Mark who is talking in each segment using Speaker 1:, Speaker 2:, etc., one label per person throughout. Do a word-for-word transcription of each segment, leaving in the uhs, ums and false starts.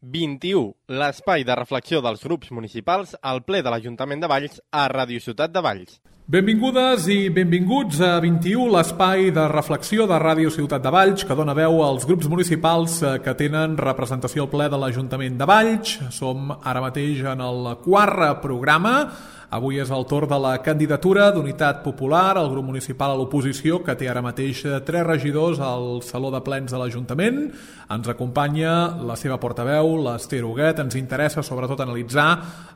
Speaker 1: vint-i-u, l'espai de reflexió dels grups municipals al ple de l'Ajuntament de Valls a Ràdio Ciutat de Valls.
Speaker 2: Benvingudes i benvinguts a vint-i-u, l'espai de reflexió de Ràdio Ciutat de Valls, que dona veu als grups municipals que tenen representació al ple de l'Ajuntament de Valls. Som ara mateix en el quart programa. Avui és el torn de la candidatura d'Unitat Popular, el grup municipal a l'oposició, que té ara mateix tres regidors al Saló de Plens de l'Ajuntament. Ens acompanya la seva portaveu, l'Ester Huguet. Ens interessa sobretot analitzar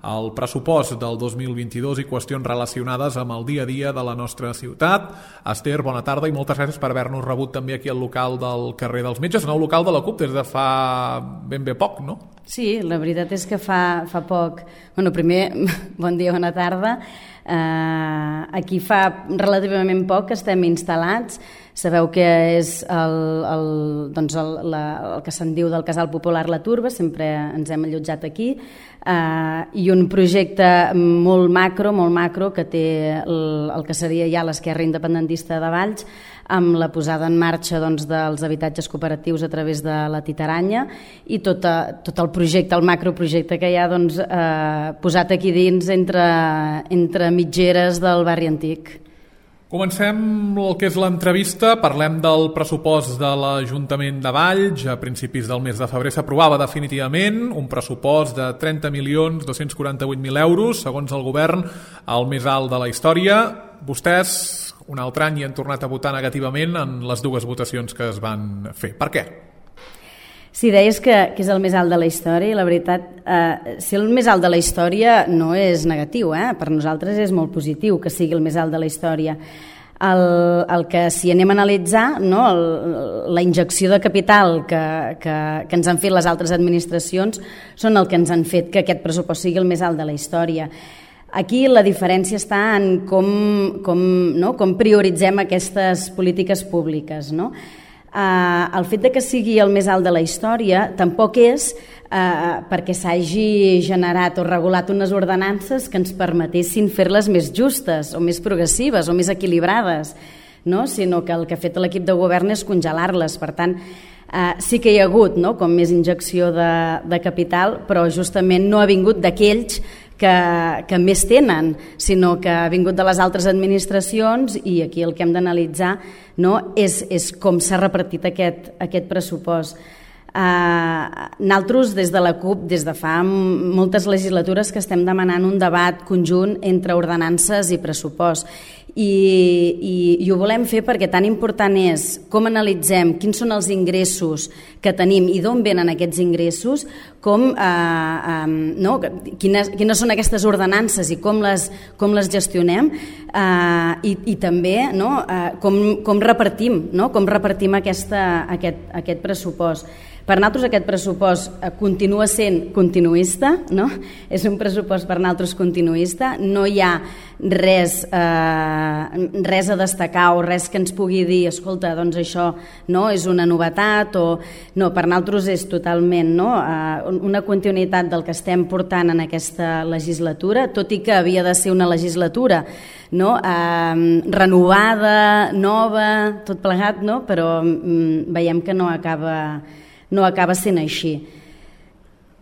Speaker 2: el pressupost del dos mil vint-i-dos i qüestions relacionades amb el dia a dia de la nostra ciutat. Ester, bona tarda i moltes gràcies per haver-nos rebut també aquí al local del carrer dels Metges, nou local de la CUP des de fa ben bé poc, no?
Speaker 3: Sí, la veritat és que fa, fa poc... Bueno, primer, bon dia, bona tarda. Uh, aquí fa relativament poc que estem instal·lats. Sabeu que és el, el, doncs el, la, el que se'n diu del Casal Popular La Turba, sempre ens hem allotjat aquí, uh, i un projecte molt macro, molt macro, que té el, el que seria ja l'Esquerra Independentista de Valls, amb la posada en marxa doncs, dels habitatges cooperatius a través de la Titaranya i tot, a, tot el projecte, el macroprojecte que hi ha doncs, eh, posat aquí dins entre, entre mitgeres del barri antic.
Speaker 2: Comencem el que és l'entrevista. Parlem del pressupost de l'Ajuntament de Valls. A principis del mes de febrer s'aprovava definitivament un pressupost de trenta milions dos-cents quaranta-vuit mil euros, segons el govern, el més alt de la història. Vostès, un altre any, hi han tornat a votar negativament en les dues votacions que es van fer. Per què?
Speaker 3: Sí, deies que, que és el més alt de la història i la veritat, eh, si el més alt de la història no és negatiu, eh? Per nosaltres és molt positiu que sigui el més alt de la història. El, el que si anem a analitzar, no, el, la injecció de capital que, que, que ens han fet les altres administracions són el que ens han fet que aquest pressupost sigui el més alt de la història. Aquí la diferència està en com, com, no, com prioritzem aquestes polítiques públiques, no? Uh, el fet de que sigui el més alt de la història tampoc és uh, perquè s'hagi generat o regulat unes ordenances que ens permetessin fer-les més justes o més progressives o més equilibrades, no? Sinó que el que ha fet l'equip de govern és congelar-les. Per tant, uh, sí que hi ha hagut, no, com més injecció de, de capital, però justament no ha vingut d'aquells que, que més tenen, sinó que ha vingut de les altres administracions i aquí el que hem d'analitzar, no, és, és com s'ha repartit aquest, aquest pressupost. Uh, nosaltres des de la CUP des de fa moltes legislatures que estem demanant un debat conjunt entre ordenances i pressupost i, i, i ho volem fer perquè tan important és com analitzem quins són els ingressos que tenim i d'on venen aquests ingressos, com, uh, um, no, quines, quines són aquestes ordenances i com les, com les gestionem uh, i, i també, no, uh, com, com repartim, no, com repartim aquesta, aquest, aquest pressupost. Per nosaltres aquest pressupost continua sent continuista, no? És un pressupost per nosaltres continuista, no hi ha res, eh, res a destacar o res que ens pugui dir, escolta, doncs això no, és una novetat, o no, per nosaltres és totalment, no, eh, una continuïtat del que estem portant en aquesta legislatura, tot i que havia de ser una legislatura, no, eh, renovada, nova, tot plegat, no? Però mm, veiem que no acaba... no acaba sent així.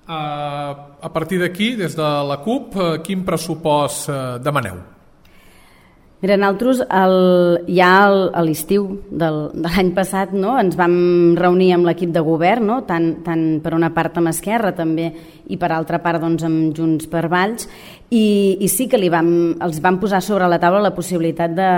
Speaker 2: Uh, a partir d'aquí, des de la CUP, uh, quin pressupost uh, demaneu?
Speaker 3: Mira, nosaltres el, ja el, a l'estiu del, de l'any passat, no, ens vam reunir amb l'equip de govern, no, tant, tant per una part amb Esquerra també i per altra part doncs, amb Junts per Valls, i, i sí que li vam, els vam posar sobre la taula la possibilitat de,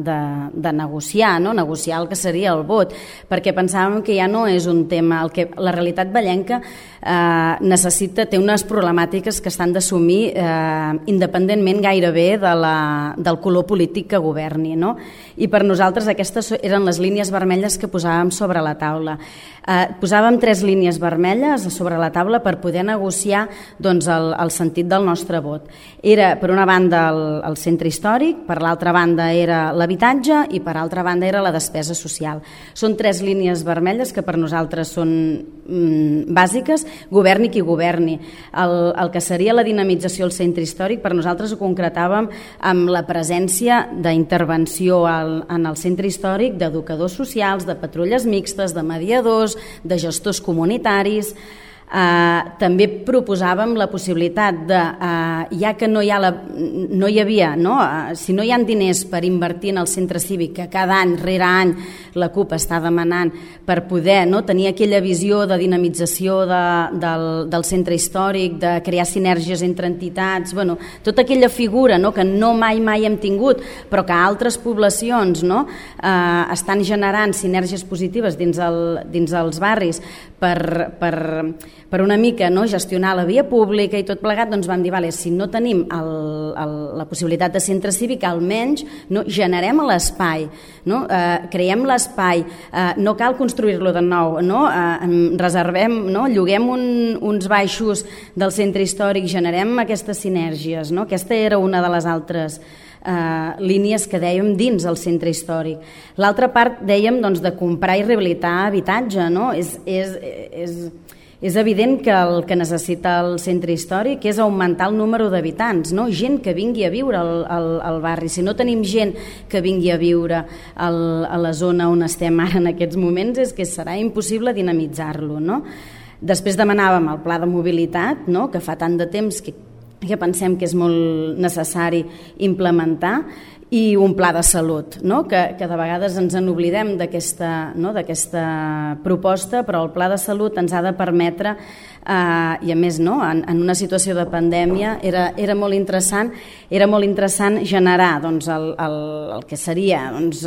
Speaker 3: de, de negociar, no? Negociar el que seria el vot, perquè pensàvem que ja no és un tema, el que, la realitat vallenca eh, necessita, té unes problemàtiques que estan d'assumir eh, independentment gairebé de la, del color polític que governi, no? I per nosaltres aquestes eren les línies vermelles que posàvem sobre la taula. Eh, posàvem tres línies vermelles sobre la taula per poder negociar doncs, el, el sentit del nostre vot. Era, per una banda, el, el centre històric, per l'altra banda era l'habitatge i per altra banda era la despesa social. Són tres línies vermelles que per nosaltres són mm, bàsiques, governi qui governi. El, el que seria la dinamització al centre històric, per nosaltres ho concretàvem amb la presència d'intervenció al, en el centre històric d'educadors socials, de patrulles mixtes, de mediadors, de gestors comunitaris. Eh, també proposàvem la possibilitat de, eh, ja que no hi, ha la, no hi havia, no? Eh, si no hi ha diners per invertir en el centre cívic, que cada any, rere any, la CUP està demanant per poder, no, tenir aquella visió de dinamització de, del, del centre històric, de crear sinergies entre entitats, bueno, tota aquella figura, no, que no mai mai hem tingut, però que altres poblacions, no, eh, estan generant sinergies positives dins, el, dins els barris per, per, per una mica, no, gestionar la via pública i tot plegat, doncs vam dir, vale, si no tenim el, el, la possibilitat de centre cívic, almenys no, generem l'espai, no, eh, creem l'espai, eh, no cal construir-lo de nou, no, eh, reservem, no, lloguem un, uns baixos del centre històric, generem aquestes sinergies, no? Aquesta era una de les altres eh, línies que dèiem dins el centre històric. L'altra part dèiem doncs, de comprar i rehabilitar habitatge, no? És, és, és, és evident que el que necessita el centre històric és augmentar el número d'habitants, no? Gent que vingui a viure al, al, al barri. Si no tenim gent que vingui a viure al, a la zona on estem ara en aquests moments, és que serà impossible dinamitzar-lo, no? Després demanàvem el pla de mobilitat, no? Que fa tant de temps que, que pensem que és molt necessari implementar, i un pla de salut, no? que, que de vegades ens en oblidem d'aquesta, no? d'aquesta proposta, però el pla de salut ens ha de permetre, eh, i a més no? en, en una situació de pandèmia era, era molt interessant era molt interessant generar doncs, el, el, el que seria doncs,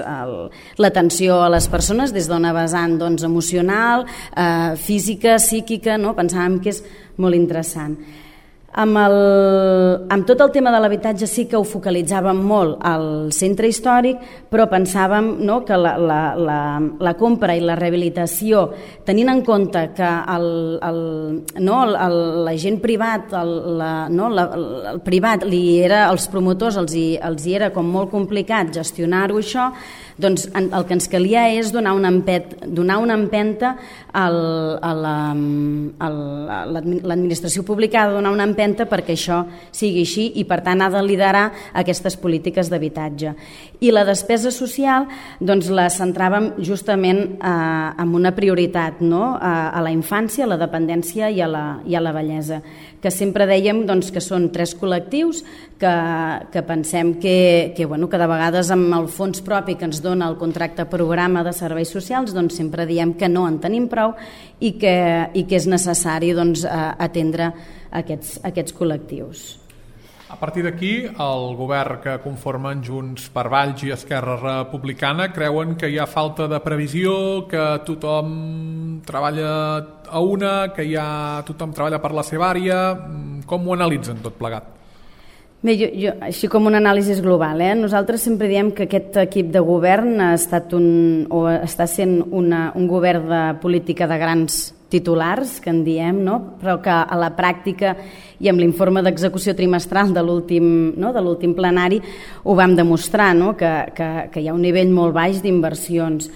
Speaker 3: l'atenció a les persones des d'una vessant doncs, emocional, eh, física, psíquica, no? Pensàvem que és molt interessant. Amb, el, amb tot el tema de l'habitatge sí que ho focalitzàvem molt al centre històric, però pensàvem no, que la, la, la, la compra i la rehabilitació, tenint en compte que el, el, no, el, la gent privat, el, la, no, la, el privat, li era, els promotors els hi, els hi era com molt complicat gestionar-ho això, doncs el que ens calia és donar una, empet, donar una empenta al, a l'administració pública, ha de donar una empenta perquè això sigui així i per tant ha de liderar aquestes polítiques d'habitatge. I la despesa social doncs la centràvem justament eh, en una prioritat, no? a, a la infància, a la dependència i a la, i a la vellesa, que sempre dèiem doncs, que són tres col·lectius que, que pensem que, que, bueno, que de vegades amb el fons propi que ens dona el contracte programa de serveis socials doncs sempre diem que no en tenim prou i que, i que és necessari doncs, atendre aquests, aquests col·lectius.
Speaker 2: A partir d'aquí, el govern que conformen Junts per Valls i Esquerra Republicana creuen que hi ha falta de previsió, que tothom treballa a una, que ja tothom treballa per la seva àrea. Com ho analitzen tot plegat?
Speaker 3: Bé, jo, jo, així com un anàlisi global, eh? Nosaltres sempre diem que aquest equip de govern ha estat un, o està sent una, un govern de política de grans titulars, que en diem, no? Però que a la pràctica i amb l'informe d'execució trimestral de l'últim no? de l'últim plenari ho vam demostrar, no? que, que, que hi ha un nivell molt baix d'inversions.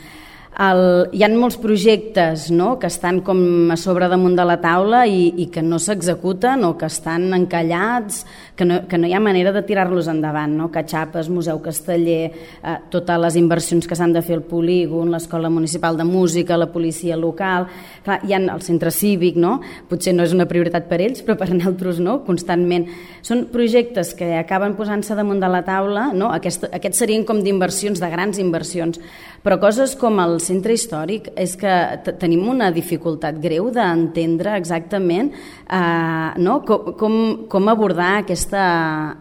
Speaker 3: El, hi ha molts projectes no? que estan com a sobre damunt de la taula i, i que no s'executen o que estan encallats, que no, que no hi ha manera de tirar-los endavant, no? Catxapes, Museu Casteller, eh, totes les inversions que s'han de fer al polígon, l'Escola Municipal de Música, la policia local, clar, hi ha el centre cívic, no? Potser no és una prioritat per ells, però per nosaltres no, constantment. Són projectes que acaben posant-se damunt de la taula, no? Aquest, aquests serien com d'inversions, de grans inversions, però coses com el centre històric és que tenim una dificultat greu d'entendre exactament eh, no? com, com, com abordar aquesta,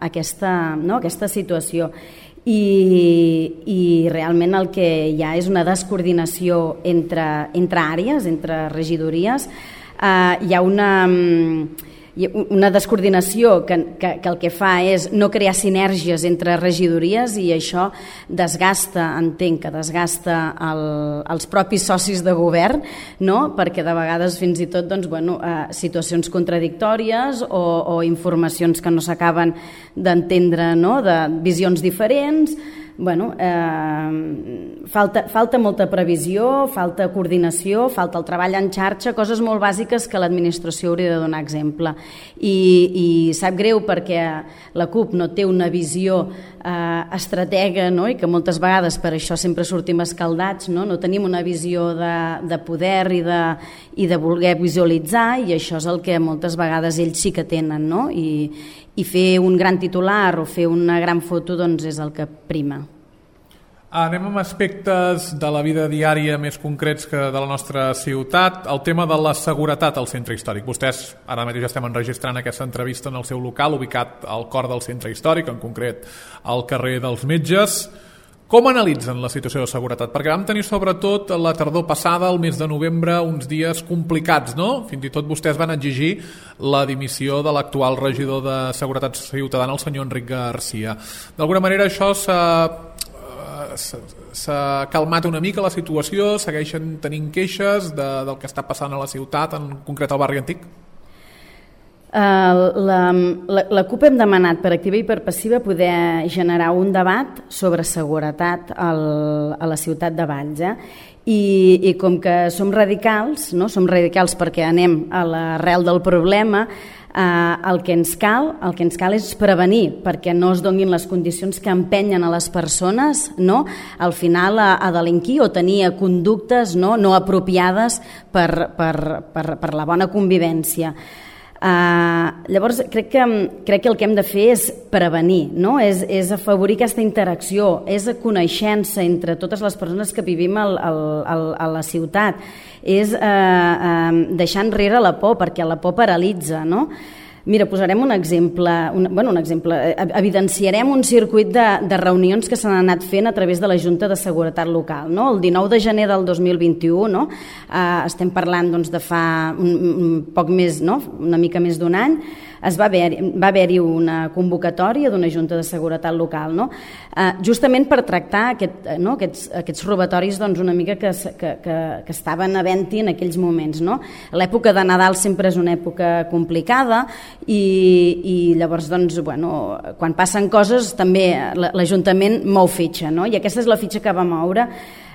Speaker 3: aquesta, no? aquesta situació. I, i realment el que hi ha és una descoordinació entre, entre àrees, entre regidories. Eh, hi ha una... una descoordinació que, que, que el que fa és no crear sinergies entre regidories i això desgasta, entenc que desgasta el, els propis socis de govern, no? Perquè de vegades fins i tot doncs, bueno, eh, situacions contradictòries o, o informacions que no s'acaben d'entendre, no? De visions diferents. bueno, eh, falta, falta molta previsió, falta coordinació, falta el treball en xarxa, coses molt bàsiques que l'administració hauria de donar exemple. I, i sap greu perquè la CUP no té una visió eh, estratega, no? I que moltes vegades per això sempre sortim escaldats, no, no tenim una visió de, de poder i de, i de voler visualitzar, i això és el que moltes vegades ells sí que tenen, no? I, i fer un gran titular o fer una gran foto doncs és el que prima.
Speaker 2: Anem amb aspectes de la vida diària més concrets que de la nostra ciutat. El tema de la seguretat al centre històric. Vostès ara mateix estem enregistrant aquesta entrevista en el seu local, ubicat al cor del centre històric, en concret al carrer dels Metges. Com analitzen la situació de seguretat? Perquè vam tenir sobretot la tardor passada, el mes de novembre, uns dies complicats, no? Fins i tot vostès van exigir la dimissió de l'actual regidor de Seguretat Ciutadana, el senyor Enric Garcia. D'alguna manera això s'ha... s'ha calmat una mica la situació, segueixen tenint queixes de, del que està passant a la ciutat, en concret al barri antic?
Speaker 3: Uh, la, la, la CUP hem demanat per activa i per passiva poder generar un debat sobre seguretat al, a la ciutat de Valls, eh? I, i com que som radicals, no? Som radicals perquè anem a l'arrel del problema, eh, el que ens cal, el que ens cal és prevenir perquè no es donin les condicions que empenyen a les persones, no? Al final a, a delinquir o tenir conductes no, no apropiades per, per, per, per la bona convivència. Uh, llavors crec que, crec que el que hem de fer és prevenir, no? és, és afavorir aquesta interacció, és a coneixença entre totes les persones que vivim al, al, al, a la ciutat, és uh, uh, deixar enrere la por, perquè la por paralitza, no? Mira, posarem un exemple, un, bueno, un exemple, evidenciarem un circuit de, de reunions que s'han anat fent a través de la Junta de Seguretat Local. No? El dinou de gener del dos mil vint-i-u, no? eh, estem parlant doncs, de fa un, un poc més, no? Una mica més d'un any, es va haver, va haver-hi una convocatòria d'una Junta de Seguretat Local, no? eh, justament per tractar aquest, no? aquests, aquests robatoris doncs, una mica que, que, que, que estaven havent-hi en aquells moments. No? L'època de Nadal sempre és una època complicada i, i llavors doncs, bueno, quan passen coses també l'Ajuntament mou fitxa, no? I aquesta és la fitxa que va moure.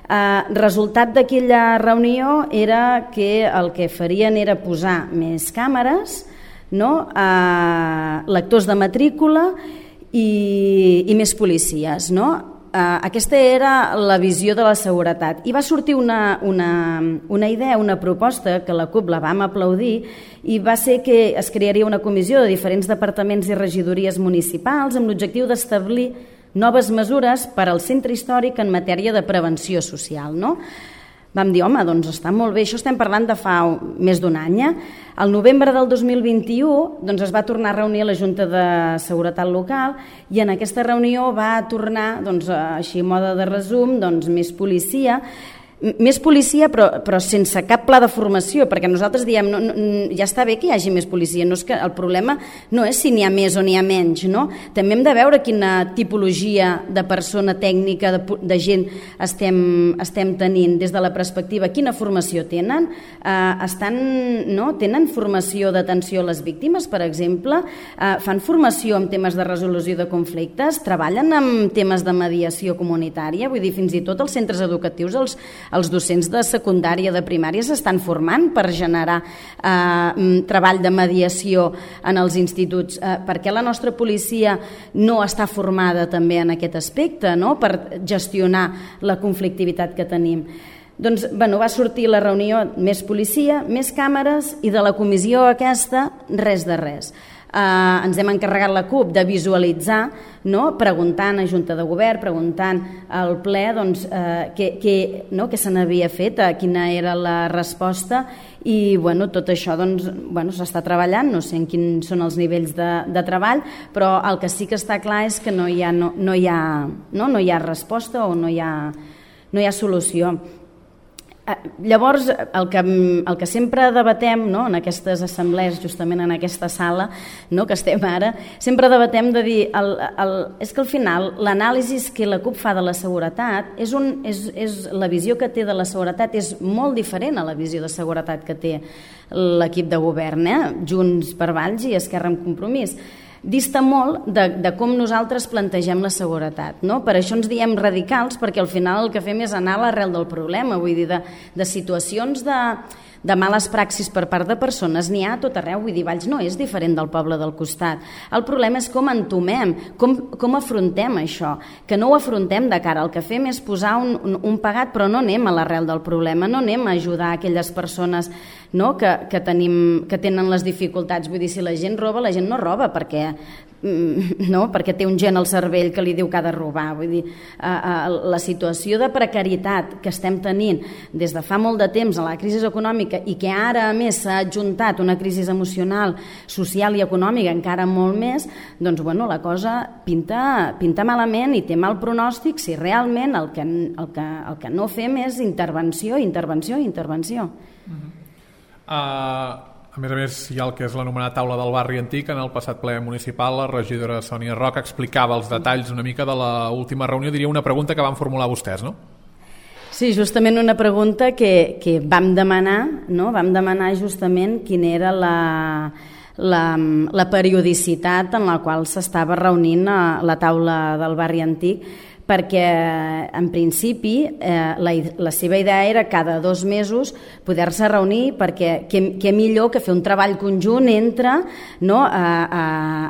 Speaker 3: Uh, resultat d'aquella reunió era que el que farien era posar més càmeres, no? uh, lectors de matrícula i, i més policies, no? Uh, aquesta era la visió de la seguretat i va sortir una, una, una idea, una proposta que la CUP la vam aplaudir i va ser que es crearia una comissió de diferents departaments i regidories municipals amb l'objectiu d'establir noves mesures per al centre històric en matèria de prevenció social, no? Vam dir, home, doncs està molt bé, això estem parlant de fa més d'un any. Eh? Al novembre del dos mil vint-i-u doncs es va tornar a reunir a la Junta de Seguretat Local i en aquesta reunió va tornar, doncs, així a mode de resum, doncs, més policia, més policia però, però sense cap pla de formació, perquè nosaltres diem no, no, ja està bé que hi hagi més policia, no és que el problema no és si n'hi ha més o n'hi ha menys, no? També hem de veure quina tipologia de persona tècnica, de, de gent estem, estem tenint des de la perspectiva, quina formació tenen, eh, estan, no? Tenen formació d'atenció a les víctimes, per exemple, eh, fan formació en temes de resolució de conflictes, treballen en temes de mediació comunitària, vull dir, fins i tot els centres educatius, els els docents de secundària, de primària s'estan formant per generar eh, treball de mediació en els instituts. Eh, per què la nostra policia no està formada també en aquest aspecte, no? Per gestionar la conflictivitat que tenim? Doncs bueno, va sortir la reunió més policia, més càmeres i de la comissió aquesta res de res. Uh, ens hem encarregat la CUP de visualitzar, no? Preguntant a Junta de Govern, preguntant al ple doncs, uh, què, què, no? què se n'havia fet, uh, quina era la resposta i bueno, tot això doncs, bueno, s'està treballant, no sé en quins són els nivells de, de treball, però el que sí que està clar és que no hi ha, no, no hi ha, no? No hi ha resposta o no hi ha, no hi ha solució. Llavors, el que, el que sempre debatem, no, en aquestes assemblees, justament en aquesta sala, no, que estem ara, sempre debatem de dir, el, el, és que al final l'anàlisi que la CUP fa de la seguretat, és un, és, és, la visió que té de la seguretat és molt diferent a la visió de seguretat que té l'equip de govern, eh? Junts per Valls i Esquerra amb Compromís. dista molt de, de com nosaltres plantegem la seguretat, no? Per això ens diem radicals, perquè al final el que fem és anar a l'arrel del problema, vull dir, de, de situacions de, de males praxis per part de persones n'hi ha a tot arreu, vull dir, Valls no és diferent del poble del costat. El problema és com entomem, com, com afrontem això, que no ho afrontem de cara, el que fem és posar un, un, un pagat, però no anem a l'arrel del problema, no anem a ajudar aquelles persones, no? que, que, tenim, que tenen les dificultats. Vull dir, si la gent roba, la gent no roba perquè, no? perquè té un gen al cervell que li diu que ha de robar. Vull dir, la situació de precarietat que estem tenint des de fa molt de temps a la crisi econòmica i que ara a més s'ha adjuntat una crisi emocional, social i econòmica encara molt més, doncs bueno, la cosa pinta, pinta malament i té mal pronòstic si realment el que, el que, el que no fem és intervenció, intervenció, intervenció.
Speaker 2: Uh-huh. Uh, a més a més hi ha el que és l'anomenada taula del barri antic. En el passat ple municipal la regidora Sònia Roca explicava els detalls una mica de l'última reunió, diria una pregunta que van formular vostès, no?
Speaker 3: Sí, justament una pregunta que, que vam demanar, no? Vam demanar justament quina era la, la, la periodicitat en la qual s'estava reunint a la taula del barri antic, perquè en principi eh, la, la seva idea era cada dos mesos poder-se reunir, perquè què, què millor que fer un treball conjunt entre, no, a, a,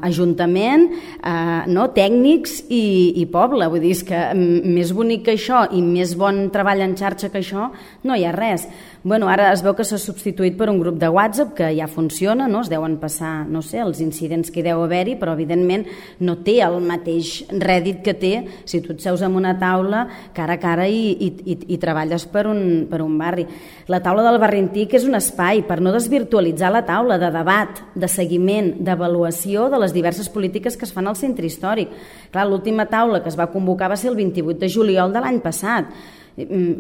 Speaker 3: ajuntament, a, no, tècnics i, i poble. Vull dir, és que més bonic que això i més bon treball en xarxa que això no hi ha res. Bueno, ara es veu que s'ha substituït per un grup de WhatsApp que ja funciona, no? Es deuen passar, no sé, els incidents que hi deu haver-hi, però evidentment no té el mateix rèdit que té si tu et seus en una taula cara a cara i, i, i, i treballes per un, per un barri. La taula del barri antic és un espai per no desvirtualitzar la taula de debat, de seguiment, d'avaluació de les diverses polítiques que es fan al centre històric. Clar, l'última taula que es va convocar va ser el vint-i-vuit de juliol de l'any passat.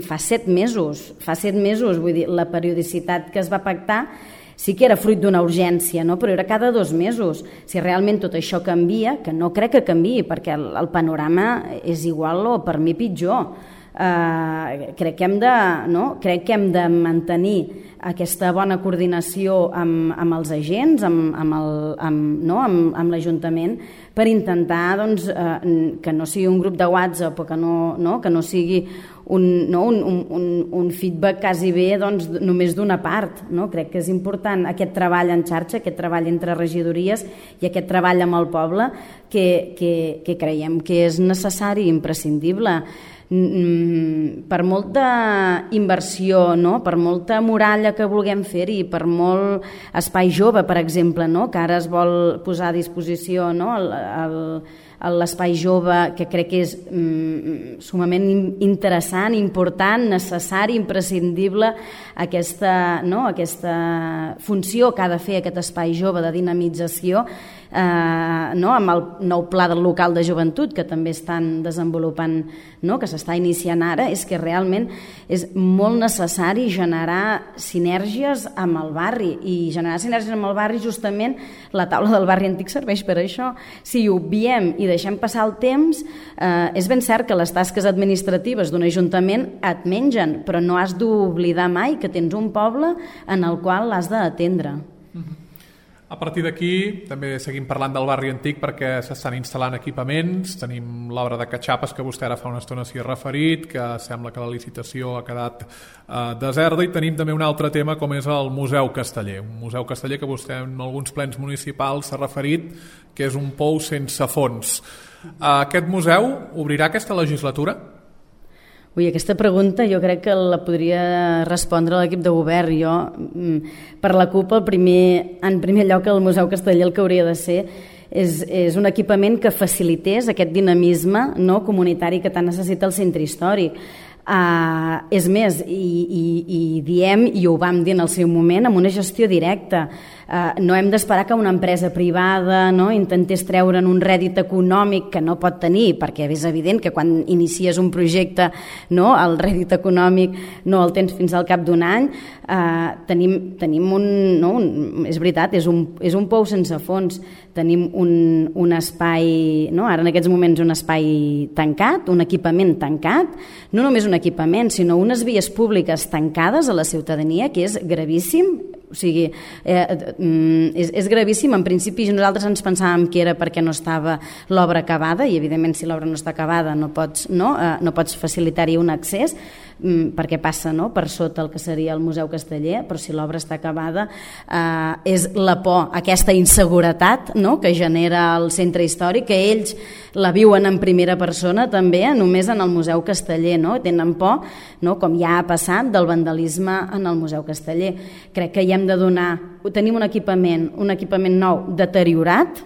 Speaker 3: Fa set mesos, fa set mesos, vull dir, la periodicitat que es va pactar sí que era fruit d'una urgència, no? Però era cada dos mesos. Si realment tot això canvia, que no crec que canviï, perquè el, el panorama és igual o per mi pitjor, eh, crec que hem de, no? crec que hem de mantenir aquesta bona coordinació amb, amb els agents, amb, amb, el, amb, no? amb, amb l'Ajuntament, per intentar doncs, eh, que no sigui un grup de WhatsApp o que no, no? que no sigui un, no? un, un, un feedback quasi bé doncs, només d'una part. No? Crec que és important aquest treball en xarxa, aquest treball entre regidories i aquest treball amb el poble que, que, que creiem que és necessari i imprescindible. Per molta inversió, no? Per molta muralla que vulguem fer-hi, per molt espai jove, per exemple, no? Que ara es vol posar a disposició, no? el, el, l'espai jove, que crec que és mm, sumament interessant, important, necessari, imprescindible aquesta, no? aquesta funció que ha de fer aquest espai jove de dinamització, eh, no? amb el nou pla del local de joventut que també estan desenvolupant, no? que s'està iniciant ara, és que realment és molt necessari generar sinergies amb el barri, i generar sinergies amb el barri, justament la taula del barri antic serveix per això. Si ho obviem i deixem passar el temps, eh, és ben cert que les tasques administratives d'un ajuntament et mengen, però no has d'oblidar mai que tens un poble en el qual l'has d'atendre.
Speaker 2: Uh-huh. A partir d'aquí també seguim parlant del barri antic perquè s'estan instal·lant equipaments. Tenim l'obra de catxapes que vostè ara fa una estona s'hi ha referit, que sembla que la licitació ha quedat eh, deserta, i tenim també un altre tema com és el Museu Casteller, un museu casteller que vostè en alguns plens municipals s'ha referit que és un pou sense fons. Aquest museu obrirà aquesta legislatura?
Speaker 3: Ui, aquesta pregunta jo crec que la podria respondre l'equip de govern. Jo, per la CUP, el primer, en primer lloc, el Museu Casteller el que hauria de ser és, és un equipament que facilités aquest dinamisme, no, comunitari que tant necessita el centre històric. Uh, és més, i, i, i diem, i ho vam dir en el seu moment, amb una gestió directa. Uh, no hem d'esperar que una empresa privada, no, intentés treure'n un rèdit econòmic que no pot tenir, perquè és evident que quan inicies un projecte, no, el rèdit econòmic no el tens fins al cap d'un any. Uh, tenim, tenim un, no, un... És veritat, és un, és un pou sense fons. Tenim un, un espai, no, ara en aquests moments un espai tancat, un equipament tancat, no només un equipament, sinó unes vies públiques tancades a la ciutadania, que és gravíssim. O sigui, eh, és, és gravíssim. En principi nosaltres ens pensàvem que era perquè no estava l'obra acabada, i evidentment si l'obra no està acabada no pots, no? Eh, no pots facilitar-hi un accés, mm, perquè passa, no?, per sota el que seria el Museu Casteller, però si l'obra està acabada eh, és la por, aquesta inseguretat, no?, que genera el centre històric, que ells la viuen en primera persona també, només en el Museu Casteller, no? Tenen por, no?, com ja ha passat, del vandalisme en el Museu Casteller. Crec que hi hem de donar, tenim un equipament, un equipament nou deteriorat,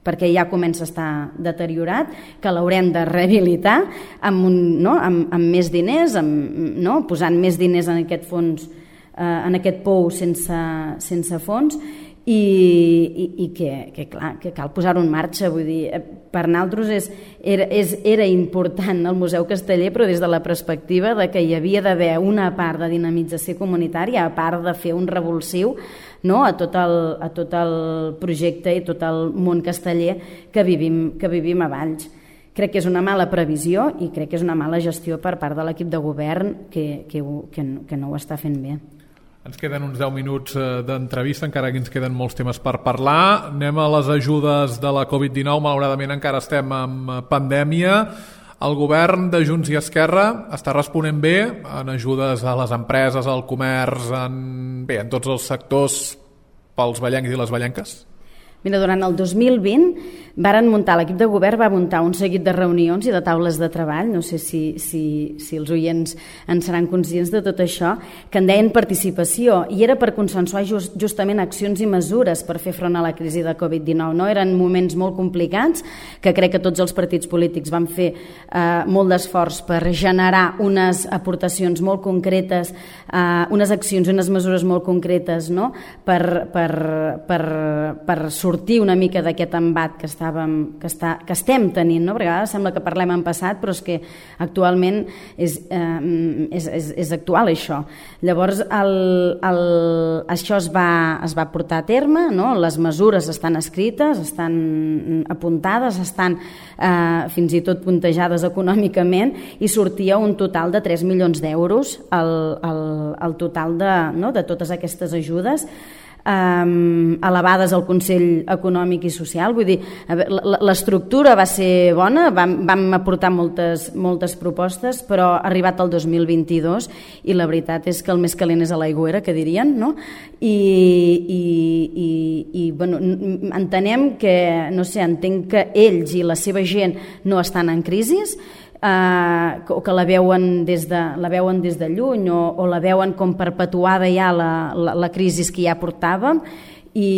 Speaker 3: perquè ja comença a estar deteriorat, que l'haurem de rehabilitar amb, un, no? amb, amb més diners, amb, no? posant més diners en aquest fons, eh, en aquest pou sense, sense fons, i, i, i que, que, clar, que cal posar-ho en marxa. Vull dir, per nosaltres és, era, és, era important el Museu Casteller, però des de la perspectiva de que hi havia d'haver una part de dinamització comunitària, a part de fer un revulsiu, no?, a, tot el, a tot el projecte i tot el món casteller que vivim, que vivim a Valls. Crec que és una mala previsió i crec que és una mala gestió per part de l'equip de govern que, que, que, que no ho està fent bé.
Speaker 2: Ens queden uns deu minuts d'entrevista, encara que ens queden molts temes per parlar. Anem a les ajudes de la covid dinou. Malauradament encara estem en pandèmia. El govern de Junts i Esquerra està responent bé en ajudes a les empreses, al comerç, en, bé, en tots els sectors pels vallencs i les vallenques?
Speaker 3: Mira, durant el dos mil vint varen muntar, l'equip de govern va muntar un seguit de reunions i de taules de treball, no sé si, si, si els oients en seran conscients de tot això, que en deien participació, i era per consensuar just, justament accions i mesures per fer front a la crisi de covid dinou. No? Eren moments molt complicats, que crec que tots els partits polítics van fer eh, molt d'esforç per generar unes aportacions molt concretes, eh, unes accions i unes mesures molt concretes, no? per, per, per, per sortir una mica d'aquest embat que, estàvem, que, està, que estem tenint, no? Perquè a vegades sembla que parlem en passat, però és que actualment és, eh, és, és, és actual això. Llavors el, el, això es va, es va portar a terme, no? Les mesures estan escrites, estan apuntades, estan eh, fins i tot puntejades econòmicament, i sortia un total de tres milions d'euros el, el, el total de, no? de totes aquestes ajudes, Um, elevades al Consell Econòmic i Social. Vull dir, l'estructura va ser bona, vam, vam aportar moltes, moltes propostes, però ha arribat el dos mil vint-i-dos i la veritat és que el més calent és a l'aigüera, que dirien, no? I, i, i, i bueno, entenem que, no sé, entenc que ells i la seva gent no estan en crisi, Uh, o que la veuen des de, la veuen des de lluny, o, o la veuen com perpetuada ja la, la, la crisi que ja portàvem, i,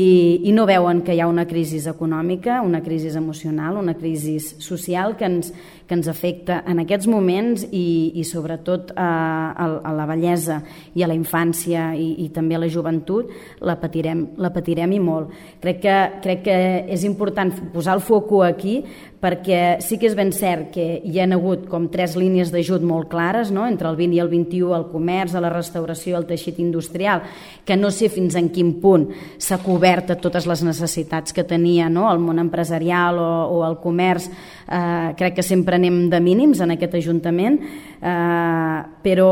Speaker 3: i no veuen que hi ha una crisi econòmica, una crisi emocional, una crisi social que ens, que ens afecta en aquests moments, i, i sobretot a, a, a la vellesa i a la infància i, i també a la joventut la patirem, la patirem i molt. Crec que, crec que és important posar el foco aquí, perquè sí que és ben cert que hi ha hagut com tres línies d'ajut molt clares, no? Entre el vint i el vint-i-u, el comerç, a la restauració i el teixit industrial, que no sé fins en quin punt s'ha cobert a totes les necessitats que tenia, no? El món empresarial o, o el comerç. Eh, crec que sempre anem de mínims en aquest Ajuntament, eh, però,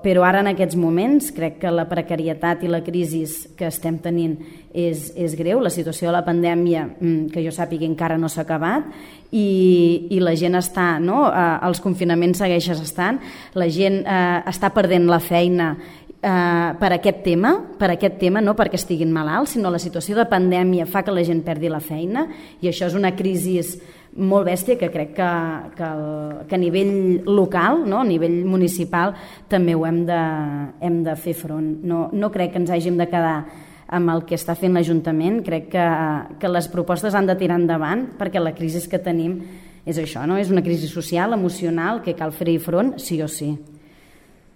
Speaker 3: però ara en aquests moments crec que la precarietat i la crisi que estem tenint és, és greu. La situació de la pandèmia, que jo sàpiga, encara no s'ha acabat, i, i la gent està, no? Eh, els confinaments segueixen estant, la gent eh, està perdent la feina eh, per aquest tema, per aquest tema, no perquè estiguin malalts, sinó la situació de pandèmia fa que la gent perdi la feina, i això és una crisi molt bèstia que crec que, que, que a nivell local, no? A nivell municipal, també ho hem de, hem de fer front. No, no crec que ens hàgim de quedar amb el que està fent l'Ajuntament. Crec que, que les propostes han de tirar endavant, perquè la crisi que tenim és això, no? És una crisi social, emocional, que cal fer-hi front sí o sí.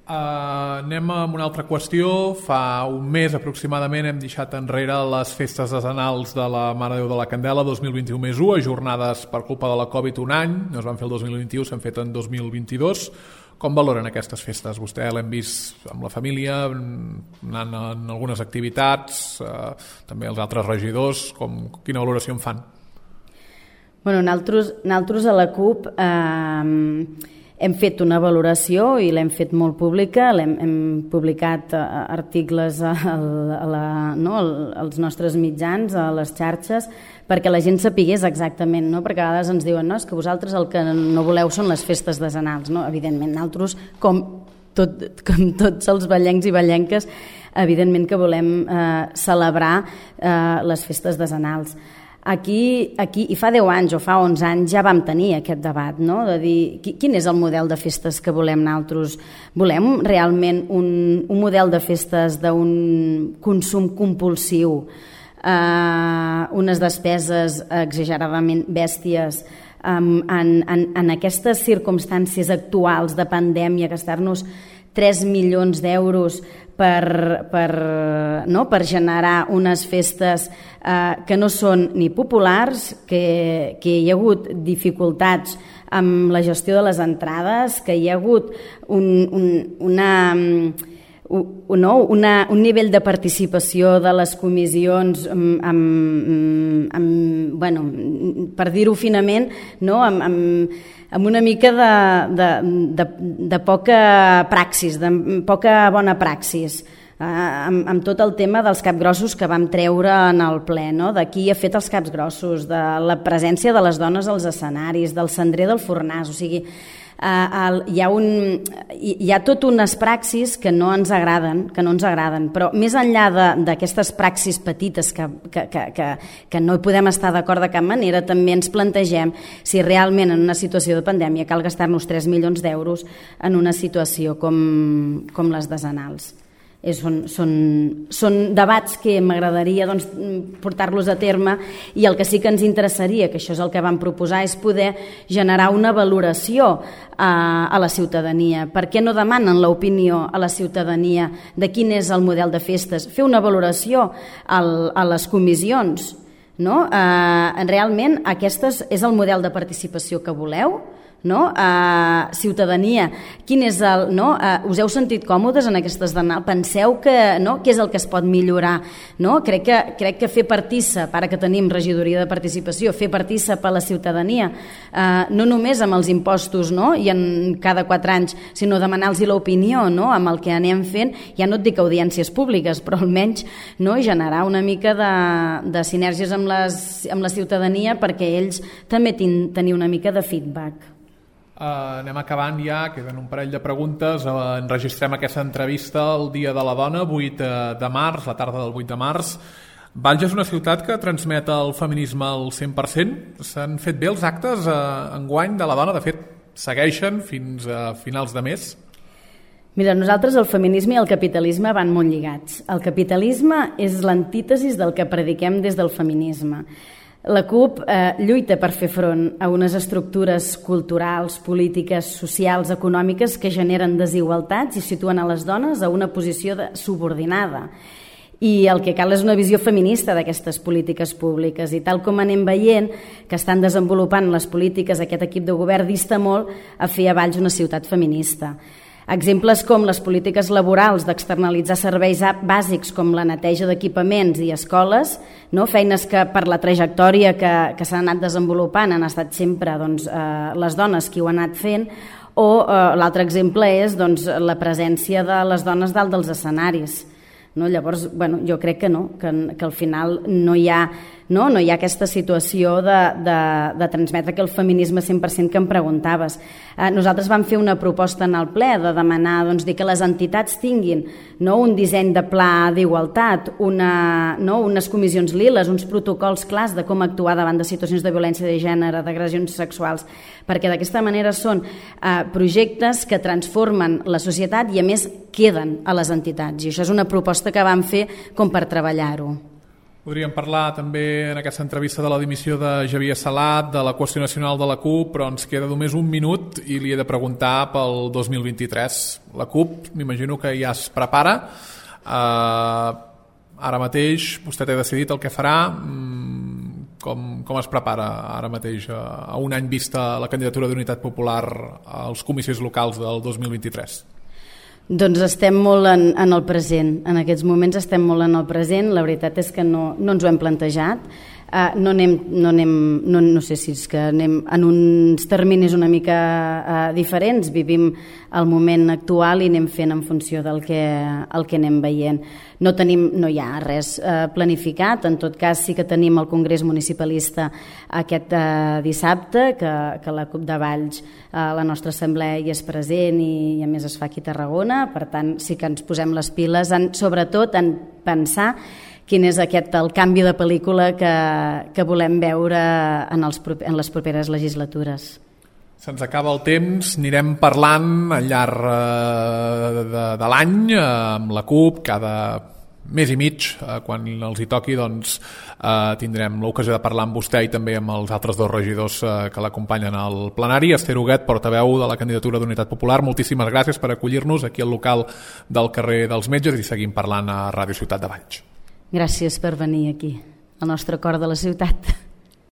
Speaker 2: Uh, anem a una altra qüestió. Fa un mes aproximadament hem deixat enrere les festes decenals de la Mare de Déu de la Candela dos mil vint-i-u més u, ajornades per culpa de la Covid un any. No es van fer el dos mil vint-i-u, s'han fet en dos mil vint-i-dos. Com valoren aquestes festes? Vostè l'hem vist amb la família, anant en algunes activitats, uh, també els altres regidors. Com, quina valoració en fan?
Speaker 3: Bueno, nosaltres, nosaltres a la CUP... Eh, hem fet una valoració i l'hem fet molt pública, l'hem, hem publicat articles a, a la, no, als nostres mitjans, a les xarxes, perquè la gent sapigués exactament, no? Perquè a vegades ens diuen no, és que vosaltres el que no voleu són les festes decenals. No? Evidentment, nosaltres, com, tot, com tots els ballencs i ballenques, evidentment que volem eh, celebrar eh, les festes decenals. Aquí, aquí, i fa deu anys o fa onze anys ja vam tenir aquest debat, no? De dir quin és el model de festes que volem nosaltres. Volem realment un, un model de festes d'un consum compulsiu, eh, unes despeses exageradament bèsties, um, en, en, en aquestes circumstàncies actuals de pandèmia, gastar-nos tres milions d'euros per, per, no? per generar unes festes eh, que no són ni populars, que, que hi ha hagut dificultats amb la gestió de les entrades, que hi ha hagut un, un, una, un, no? una, un nivell de participació de les comissions amb, amb, amb, bueno, per dir-ho finament, no? amb, amb amb una mica de, de, de, de poca praxis, de poca bona praxis, eh, amb, amb tot el tema dels capgrossos que vam treure en el ple, no? De qui ha fet els capgrossos, de la presència de les dones als escenaris, del cendrer del Fornàs, o sigui, Uh, el, hi, ha un, hi ha tot unes praxis que no ens agraden, que no ens agraden, però més enllà d'aquestes praxis petites que, que, que, que, que no hi podem estar d'acord de cap manera, també ens plantegem si realment en una situació de pandèmia cal gastar-nos tres milions d'euros en una situació com, com les decenals. És, són, són, són debats que m'agradaria doncs, portar-los a terme, i el que sí que ens interessaria, que això és el que vam proposar, és poder generar una valoració a, a la ciutadania. Per què no demanen l'opinió a la ciutadania de quin és el model de festes? Fer una valoració al, a les comissions, no? Eh, realment aquest és el model de participació que voleu? No? Uh, ciutadania, quin és el, no? uh, us heu sentit còmodes en aquestes d'anal? Penseu que, no? Què és el que es pot millorar? No? Crec, que, crec que fer partícip, ara que tenim regidoria de participació, fer partícip a la ciutadania, uh, no només amb els impostos, no? I en cada quatre anys, sinó demanar-los l'opinió, no? Amb el que anem fent, ja no et dic audiències públiques, però almenys, no? Generar una mica de, de sinergies amb, les, amb la ciutadania perquè ells també tin, tenir una mica de feedback.
Speaker 2: Uh, anem acabant ja, queden un parell de preguntes. Uh, enregistrem aquesta entrevista el dia de la dona, vuit de març, la tarda del vuit de març. Valls és una ciutat que transmet el feminisme al cent per cent. S'han fet bé els actes uh, enguany de la dona, de fet segueixen fins a finals de mes.
Speaker 3: Mira, nosaltres el feminisme i el capitalisme van molt lligats. El capitalisme és l'antítesis del que prediquem des del feminisme. La CUP eh, lluita per fer front a unes estructures culturals, polítiques, socials, econòmiques que generen desigualtats i situen a les dones a una posició de subordinada. I el que cal és una visió feminista d'aquestes polítiques públiques, i tal com anem veient que estan desenvolupant les polítiques aquest equip de govern dista molt a fer a Valls una ciutat feminista. Exemples com les polítiques laborals d'externalitzar serveis bàsics com la neteja d'equipaments i escoles, no? Feines que per la trajectòria que, que s'han anat desenvolupant han estat sempre doncs, eh, les dones qui ho han anat fent, o eh, l'altre exemple és doncs, la presència de les dones dalt dels escenaris. No? Llavors, bueno, jo crec que no, que, que al final no hi ha, no? No hi ha aquesta situació de, de, de transmetre que el feminisme cent per cent que em preguntaves. Eh, nosaltres vam fer una proposta en el ple de demanar doncs, dir que les entitats tinguin, no? Un disseny de pla d'igualtat, una, no? Unes comissions liles, uns protocols clars de com actuar davant de situacions de violència de gènere, d'agressions sexuals, perquè d'aquesta manera són eh, projectes que transformen la societat i a més queden a les entitats, i això és una proposta que vam fer com per treballar-ho.
Speaker 2: Podríem parlar també en aquesta entrevista de la dimissió de Xavier Salat, de la qüestió nacional de la CUP, però ens queda només un minut i li he de preguntar pel dos mil vint-i-tres. La CUP, m'imagino que ja es prepara. Uh, ara mateix vostè ha decidit el que farà. Com, com es prepara ara mateix a un any vista la candidatura d'Unitat Popular als comicis locals del dos mil vint-i-tres?
Speaker 3: Doncs estem molt en, en el present. En aquests moments estem molt en el present. La veritat és que no, no ens ho hem plantejat. Uh, no, anem, no, anem, no, no sé si és que anem en uns terminis una mica uh, diferents, vivim el moment actual i anem fent en funció del que, el que anem veient. No, tenim, no hi ha res uh, planificat, en tot cas sí que tenim el Congrés Municipalista aquest uh, dissabte, que, que la CUP de Valls, uh, la nostra assemblea hi és present i, i a més es fa aquí a Tarragona, per tant sí que ens posem les piles, en, sobretot en pensar quin és aquest el canvi de pel·lícula que, que volem veure en, els, en les properes legislatures.
Speaker 2: Se'ns acaba el temps, anirem parlant al llarg de, de, de l'any amb la CUP, cada mes i mig, quan els hi toqui, doncs eh, tindrem l'ocasió de parlar amb vostè i també amb els altres dos regidors eh, que l'acompanyen al plenari. Esther Huguet, portaveu de la candidatura d'Unitat Popular, moltíssimes gràcies per acollir-nos aquí al local del carrer dels Metges i seguim parlant a Ràdio Ciutat de Valls.
Speaker 3: Gràcies per venir aquí, al nostre cor de la ciutat.